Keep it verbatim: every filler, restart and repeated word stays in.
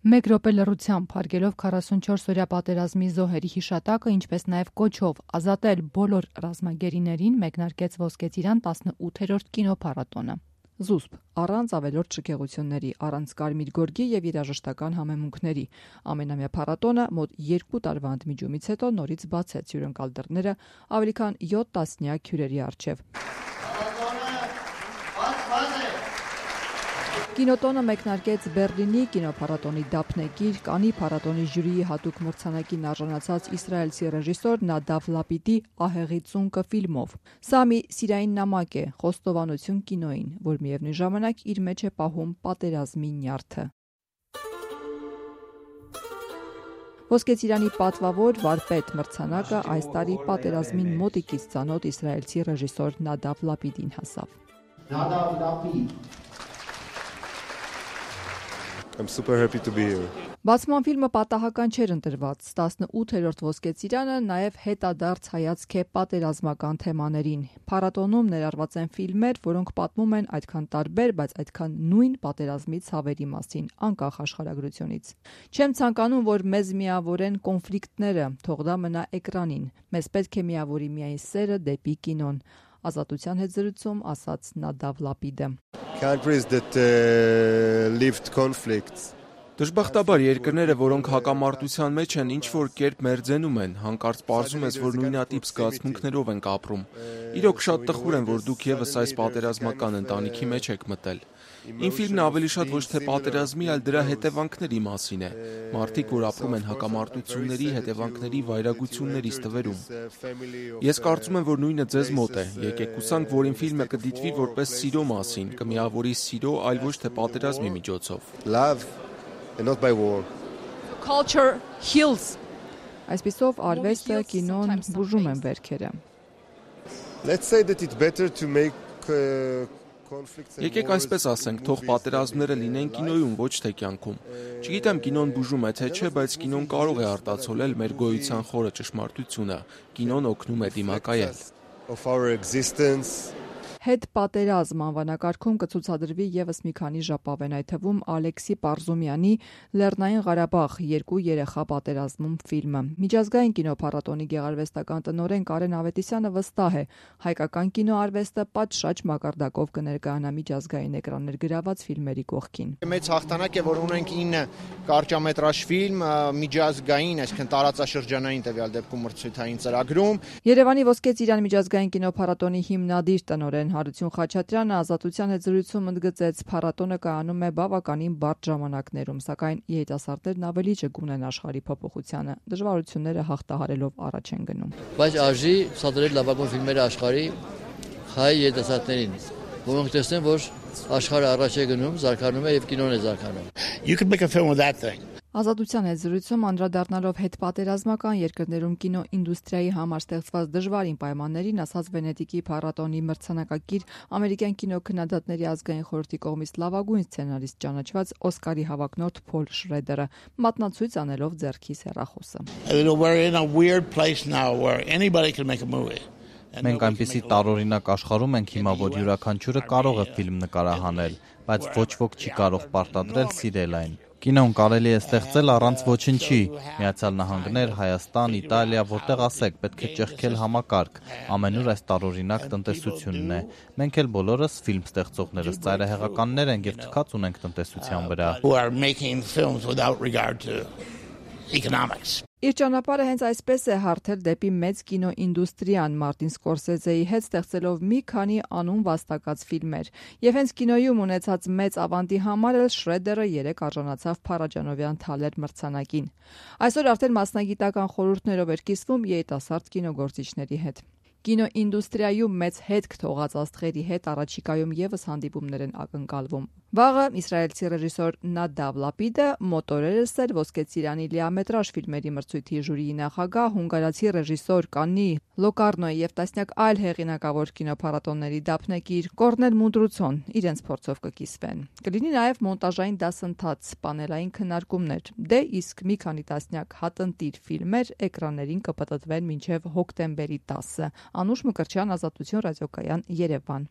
Մեկ րոպե լռությամբ հարգելով քառասունչորս-օրյա պատերազմի զոհերի հիշատակը, ինչպես նաև կոչով ազատել բոլոր ռազմագերիներին, մեկնարկեց Ոսկե ծիրան տասնութերորդ կինոփառատոնը։ Զուսպ, առանց ավելորդ շքեղությունների, առանց կարմիր գորգի եւ երաժշտական համեմունքների, ամենամյա փառատոնը մոտ երկու տարվա ընդմիջումից հետո նորից բացեց հյուրընկալ դռները ավելի քան յոթ տասնյակ հյուրերի առջև։ Կինոտոնը մեկնարկեց Բեռլինի կինոփառատոնի դափնեկիր, Կանի փառատոնի ժյուրիի հատուկ մրցանակին արժանացած իսրայելցի ռեժիսոր Նադավ Լապիդի «Ահեղի ծունկը» ֆիլմով։ Սա մի սիրային նամակ է, խոստովանություն կինոյին, որ միևնույն ժամանակ իր մեջ է պահում պատերազմի նյարդը։ Ոսկե ծիրանի պատվավոր վարպետ մրցանակը այս տարի պատերազմին մոտիկից ծանոթ իսրայելցի ռեժիսոր Նադավ Լապիդին հասավ։ Nadav Lapid. I'm super happy to be here. Բացման ֆիլմը պատահական չէր ընտրված, տասնութերորդ Ոսկե ծիրանը նաև հետադարձ հայացք է պատերազմական թեմաներին։ Փառատոնում ներառված են ֆիլմեր, որոնք պատմում են այդքան տարբեր, բայց այդքան նույն պատերազմի ցավերի մասին, անկախ աշխարհագրությունից։ Չեմ ցանկանում, որ մեզ միավորեն կոնֆլիկտները, թող դա մնա էկրանին։ Մեզ պետք է միավորի միայն սերը դեպի կինոն։ Ազատության հետ զրույցում ասաց Նադավ Լապիդը։ Countries that uh, lived conflicts. Դժբախտաբար երկրները, որոնք հակամարտության մեջ են, ինչ-որ կերպ մերձենում են, հանկարծ պարզում ես, որ նույնատիպ զգացմունքներով ենք ապրում։ Իրոք շատ տխուր եմ, որ դուք եւս այս պատերազմական ընտանիքի մեջ եք մտել։ Իմ ֆիլմն ավելի շատ ոչ թե պատերազմի, այլ դրա հետևանքների մասին է։ Մարդիկ, որ ապրում են հակամարտությունների հետևանքների վայրագությունների ստվերում։ Ես կարծում եմ, որ նույնը ձեզ մոտ է։ Եկեք հուսանք, որ իմ ֆիլմը կդիտվի որպես սիրո մասին, կմիավորի սիրո, այլ ոչ թե պատերազմի միջոցով։ Love and not by war. Culture heals. Այսպիսով արվեստը, կինոն բուժում են վերքերը։ Let's say that it's better to make uh, Եկեք այսպես ասենք, թող պատերազմները լինեն կինոյում, ոչ թե կյանքում։ Չգիտեմ կինոն բուժում է թե չէ, բայց կինոն կարող է արտացոլել մեր գոյության խորը ճշմարտությունը։ Կինոն օգնում է դիմակայել։ of our existence. Հետ պատերազմ անվանակարգում կցուցադրվի եւս մի քանի ժապավեն, այդ թվում Ալեքսի Պարզումյանի Լեռնային Ղարաբաղ երկու երեխա պատերազմում ֆիլմը։ Միջազգային կինոփառատոնի գեղարվեստական տնօրեն Կարեն Ավետիսյանը վստահ է, հայկական կինոարվեստը պատշաճ մակարդակով կներկայանա միջազգային էկրաններ գրաված ֆիլմերի կողքին։ Մեծ հաղթանակ է, որ ունենք ինը կարճամետրաժ ֆիլմ միջազգային, այսինքն տարածաշրջանային տվյալ դեպքում մրցույթային ծրագրում։ Երևանի Ոսկե ծիրան միջազգային կինոփառատոնի հիմնադիր տնօրեն Հարություն Խաչատրյանը ազատության հետ զրույցում ընդգծեց, փառատոնը կայանում է բավականին բարդ ժամանակներում, սակայն երիտասարդներն ավելի ճկուն են աշխարհի փոփոխությանը, դժվարությունները հաղթահարելով առաջ են գնում։ Բայց արժի ցուցադրել լավագույն ֆիլմերը աշխարհի հայ երիտասարդներին, որոնք տեսնեն, որ աշխարհը առաջ է գնում, զարգանում է եւ կինոն է զարգանում։ You could make a film with that thing. Ազատության հետ զրույցում անդրադառնալով հետպատերազմական երկրներում կինոինդուստրիայի համար ստեղծված դժվարին պայմաններին, ասաց Վենետիկի փառատոնի մրցանակակիր ամերիկյան կինոքննադատների ազգային խորհրդի կողմից լավագույն սցենարիստ ճանաչված Օսկարի հավակնորդ Փոլ Շրեդերը, մատնացույց անելով ձեռքիս հեռախոսը։ We're in a weird place now where anybody can make a movie. Մենք այնպիսի տարօրինակ աշխարհում ենք հիմա, որ յուրաքանչյուրը կարող է ֆիլմ նկարահանել, բայց ոչ ոք չի կարող պարտադրել սիրել այն։ Կինոն կարելի է ստեղծել առանց ոչնչի։ Միացյալ Նահանգներ, Հայաստան, Իտալիա, որտեղ ասեք, պետք է ճեղքել համակարգ։ Ամենուր այս տարօրինակ տնտեսությունն է։ Մենք էլ բոլորս ֆիլմ ստեղծողներս ծայրահեղականներ ենք եւ թքած ունենք տնտեսության վրա։ Who are making films without regard to economics. Իր ճանապարհը հենց այսպես է հարթել դեպի մեծ կինոինդուստրիան Մարտին Սկորսեզեի հետ ստեղծելով մի քանի անուն վաստակած ֆիլմեր։ Եվ հենց կինոյում ունեցած մեծ ավանդի համար էլ Շրեդերը երեք արժանացավ Փարաջանովյան Թալեր մրցանակին։ Այսօր արդեն մասնագիտական խորհուրդներով էր կիսվում երիտասարդ կինոգործիչների հետ։ Կինոինդուստրիայում մեծ հետք թողած աստղերի հետ առաջիկայում եւս հանդիպումներ են ակնկալվում։ Վաղը իսրայելցի ռեժիսոր Նադավ Լապիդը մոտորերս էր Ոսկե ծիրանի լիամետրաժ ֆիլմերի մրցույթի ժյուրիի նախագահ, հունգարացի ռեժիսոր Կանի Լոկարնոյի եւ տասնյակ այլ հեղինակավոր կինոփառատոնների դափնեկիր Կորնել Մունդրուցոն իրենց փորձով կկիսվեն։ Կլինի նաեւ մոնտաժային դասընթաց, պանելային քննարկումներ։ Դե իսկ մի քանի տասնյակ հատնտիր ֆիլմեր էկրաններին կպտտվեն մինչեւ հոկտեմբերի տասը։ Անուշ Մկրտչյան, Ազատություն ռադիոկայան, Երևան։